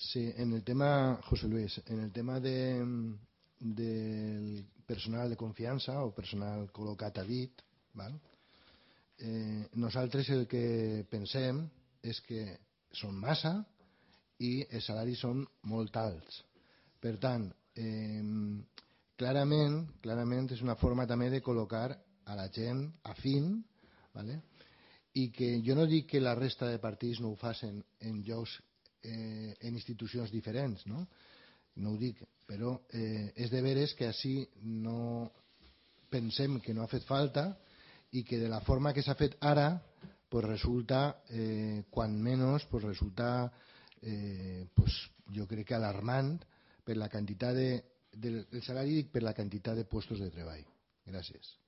Sí, en el tema, José Luis, en el tema del personal de confiança o personal col·locat a dit, val? Nosaltres el que pensem és que són massa i els salaris són molt alts. Per tant, clarament és una forma també de col·locar a la gent afín, ¿vale? I que jo no dic que la resta de partits no ho facin en llocs, en institucions diferents, no? No ho dic, però és de veres que així no pensem que no ha fet falta i que de la forma que s'ha fet ara pues resulta, quan menys, pues resulta pues jo crec que alarmant per la quantitat el salari per la quantitat de puestos de treball. Gràcies.